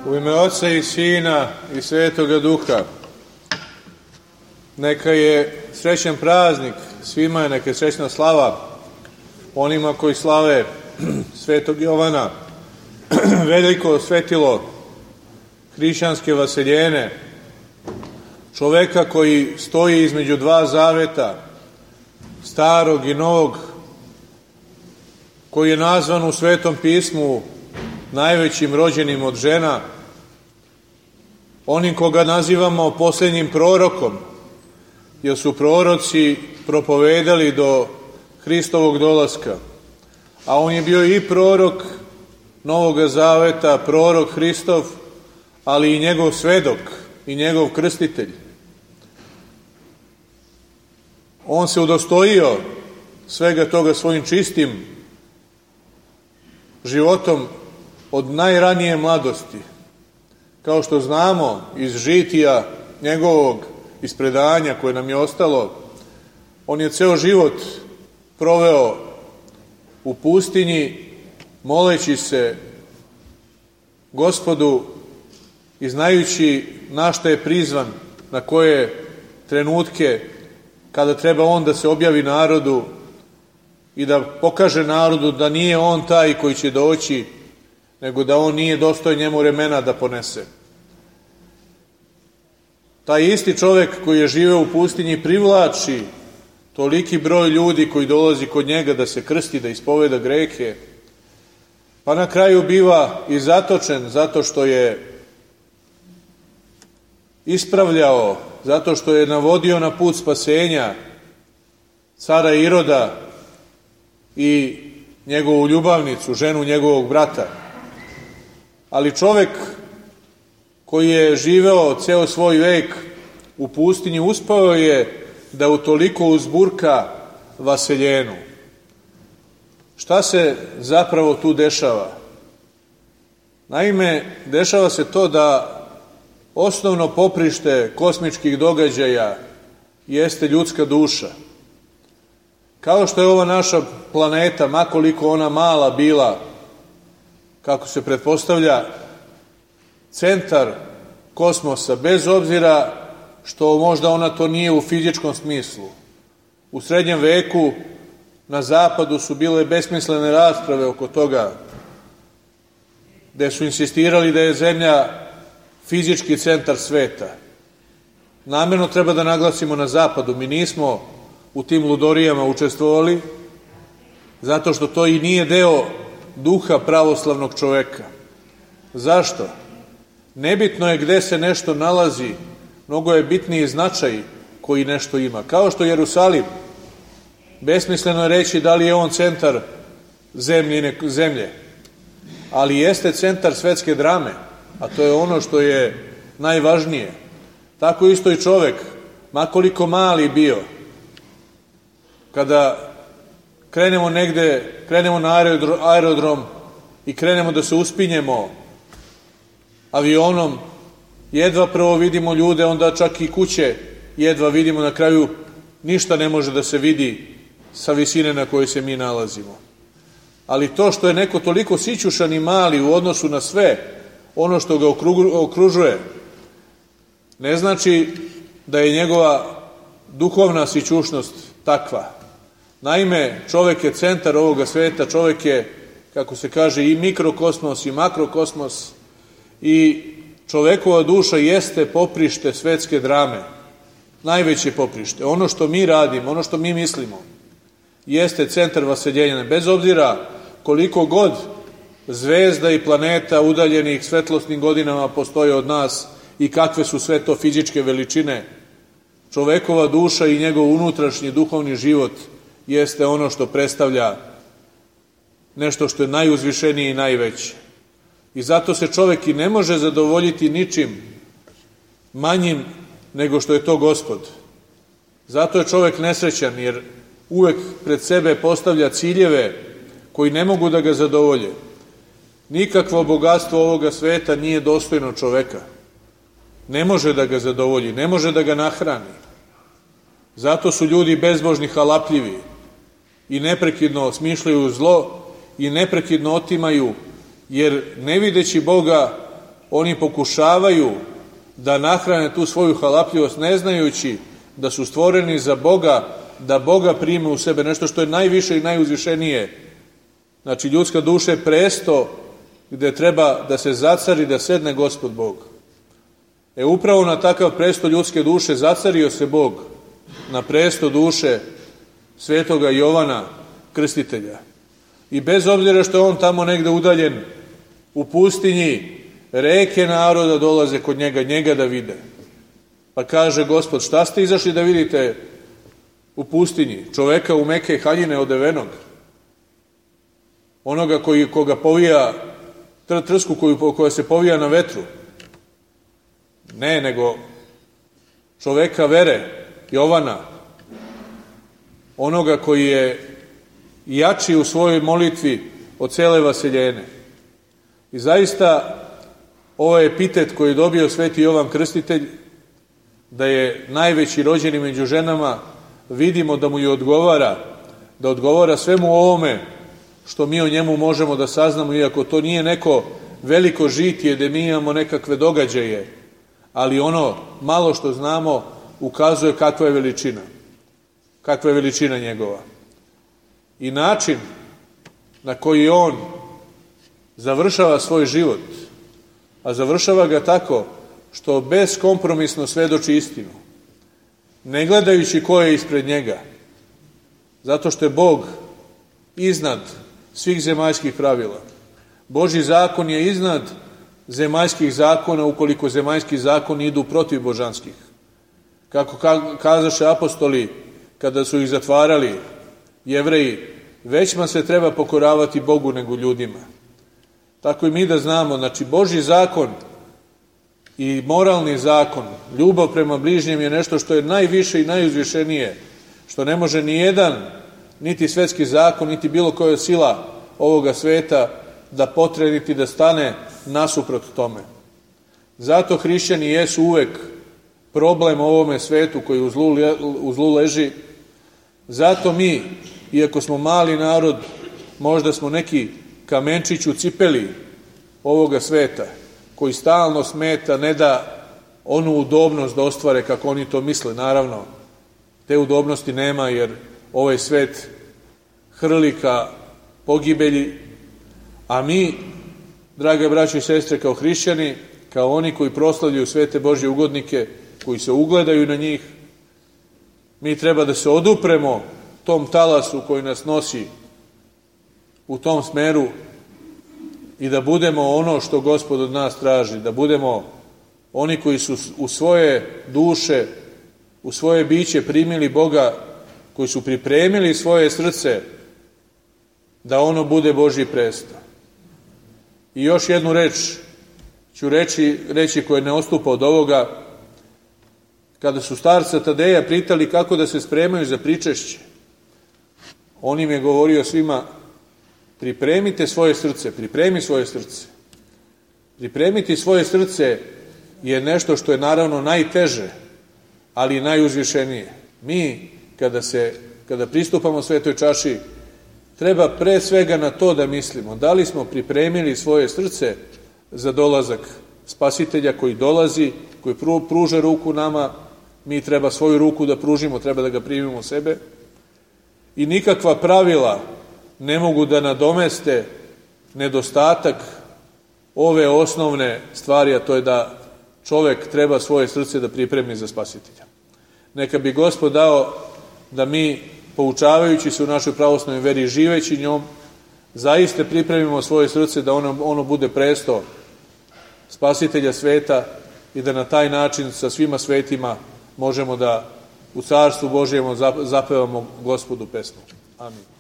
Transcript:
U ime Oca i Sina i Svetoga Duha. Neka je srećan praznik svima, neka je srećna slava onima koji slave Svetog Jovana, veliko svetilo hrišćanske vaseljene, čoveka koji stoji između dva zaveta, starog i novog, koji je nazvan u Svetom pismu najvećim rođenim od žena, onim koga nazivamo posljednjim prorokom, jer su proroci propovedali do Hristovog dolaska, a on je bio i prorok Novoga zaveta, prorok Hristov, ali i njegov svedok i njegov krstitelj. On se udostojio svega toga svojim čistim životom od najranije mladosti. Kao što znamo iz žitija njegovog, iz predanja koje nam je ostalo, on je ceo život proveo u pustinji, moleći se Gospodu i znajući na šta je prizvan, na koje trenutke kada treba on da se objavi narodu i da pokaže narodu da nije on taj koji će doći, nego da on nije dostojan njemu remena da ponese. Taj isti čovek koji je živeo u pustinji privlači toliki broj ljudi koji dolazi kod njega da se krsti, da ispoveda grehe, pa na kraju biva i zatočen zato što je ispravljao, zato što je navodio na put spasenja cara Iroda i njegovu ljubavnicu, ženu njegovog brata. Ali čovek koji je živeo ceo svoj vek u pustinji uspeo je da utoliko uzburka vaseljenu. Šta se zapravo tu dešava? Naime, dešava se to da osnovno poprište kosmičkih događaja jeste ljudska duša. Kao što je ova naša planeta, makoliko ona mala bila, kako se pretpostavlja, centar kosmosa, bez obzira što možda ona to nije u fizičkom smislu. U srednjem veku na zapadu su bile besmislene rasprave oko toga, gde su insistirali da je Zemlja fizički centar sveta. Namerno treba da naglasimo na zapadu, mi nismo u tim ludorijama učestvovali, zato što to i nije deo duha pravoslavnog čoveka. Zašto? Nebitno je gde se nešto nalazi, mnogo je bitniji značaj koji nešto ima. Kao što Jerusalim, besmisleno je reći da li je on centar zemlje, ali jeste centar svetske drame, a to je ono što je najvažnije. Tako isto i čovek, makoliko mali bio, kada krenemo negde, krenemo na aerodrom i krenemo da se uspinjemo avionom, jedva prvo vidimo ljude, onda čak i kuće jedva vidimo, na kraju ništa ne može da se vidi sa visine na kojoj se mi nalazimo. Ali to što je neko toliko sićušan i mali u odnosu na sve ono što ga okružuje, ne znači da je njegova duhovna sićušnost takva. Naime, čovek je centar ovoga sveta, čovek je, kako se kaže, i mikrokosmos i makrokosmos, i čovekova duša jeste poprište svetske drame, najveće poprište. Ono što mi radimo, ono što mi mislimo, jeste centar vaseljenja. Bez obzira koliko god zvezda i planeta udaljenih svetlosnim godinama postoje od nas i kakve su sve to fizičke veličine, čovekova duša i njegov unutrašnji duhovni život jeste ono što predstavlja nešto što je najuzvišenije i najveće. I zato se čovek i ne može zadovoljiti ničim manjim nego što je to Gospod. Zato je čovek nesrećan, jer uvek pred sebe postavlja ciljeve koji ne mogu da ga zadovolje. Nikakvo bogatstvo ovoga sveta nije dostojno čoveka. Ne može da ga zadovolji, ne može da ga nahrani. Zato su ljudi bezbožni, halapljivi i neprekidno smišljaju zlo i neprekidno otimaju, jer ne videći Boga oni pokušavaju da nahrane tu svoju halapljivost, ne znajući da su stvoreni za Boga, da Boga prime u sebe, nešto što je najviše i najuzvišenije. Znači, ljudska duša je presto gde treba da se zacari, da sedne Gospod Bog. Upravo na takav presto ljudske duše zacario se Bog, na presto duše svetoga Jovana Krstitelja. I bez obzira što je on tamo negde udaljen u pustinji, reke naroda dolaze kod njega da vide. Pa kaže Gospod, šta ste izašli da vidite u pustinji? Čoveka u meke haljine odevenog, onoga koga povija, trsku koja se povija na vetru. Ne, nego čoveka vere, Jovana, onoga koji je jači u svojoj molitvi od cele vaseljene. I zaista ovaj epitet koji je dobio sveti Jovan Krstitelj, da je najveći rođeni među ženama, vidimo da mu i odgovara, da odgovara svemu ovome što mi o njemu možemo da saznamo, iako to nije neko veliko žitije gde mi imamo nekakve događaje, ali ono malo što znamo ukazuje kakva je veličina njegova. I način na koji on završava svoj život, a završava ga tako što beskompromisno svedoči istinu, ne gledajući ko je ispred njega, zato što je Bog iznad svih zemaljskih pravila. Božji zakon je iznad zemaljskih zakona, ukoliko zemaljski zakoni idu protiv božanskih. Kako kazaše apostoli kada su ih zatvarali, Jevreji, većma se treba pokoravati Bogu nego ljudima. Tako i mi da znamo, znači Božji zakon i moralni zakon, ljubav prema bližnjem je nešto što je najviše i najuzvišenije, što ne može ni jedan, niti svetski zakon, niti bilo koja sila ovoga sveta da potre, niti da stane nasuprot tome. Zato hrišćani jesu uvek problem ovome svetu koji u zlu leži. Zato mi, iako smo mali narod, možda smo neki kamenčić u cipeli ovoga sveta, koji stalno smeta, ne da onu udobnost da ostvare kako oni to misle. Naravno, te udobnosti nema, jer ovaj svet hrli ka pogibelji, a mi, drage braće i sestre, kao hrišćani, kao oni koji proslavljaju svete Božje ugodnike, koji se ugledaju na njih, mi treba da se odupremo tom talasu koji nas nosi u tom smeru i da budemo ono što Gospod od nas traži, da budemo oni koji su u svoje duše, u svoje biće primili Boga, koji su pripremili svoje srce da ono bude Božji presto. I još jednu reč ću reći koja ne odstupa od ovoga. Kada su starca Tadeja pitali kako da se spremaju za pričešće, on im je govorio svima, pripremite svoje srce, pripremi svoje srce. Pripremiti svoje srce je nešto što je naravno najteže, ali i najuzvišenije. Mi, kada pristupamo svetoj čaši, treba pre svega na to da mislimo, da li smo pripremili svoje srce za dolazak Spasitelja koji dolazi, koji pruža ruku nama, mi treba svoju ruku da pružimo, treba da ga primimo u sebe. I nikakva pravila ne mogu da nadomeste nedostatak ove osnovne stvari, a to je da čovek treba svoje srce da pripremi za Spasitelja. Neka bi Gospod dao da mi, poučavajući se u našoj pravoslavnoj veri, živeći njom, zaista pripremimo svoje srce da ono bude presto Spasitelja sveta i da na taj način sa svima svetima možemo da u Carstvu Božjem zapevamo Gospodu pesmu. Amin.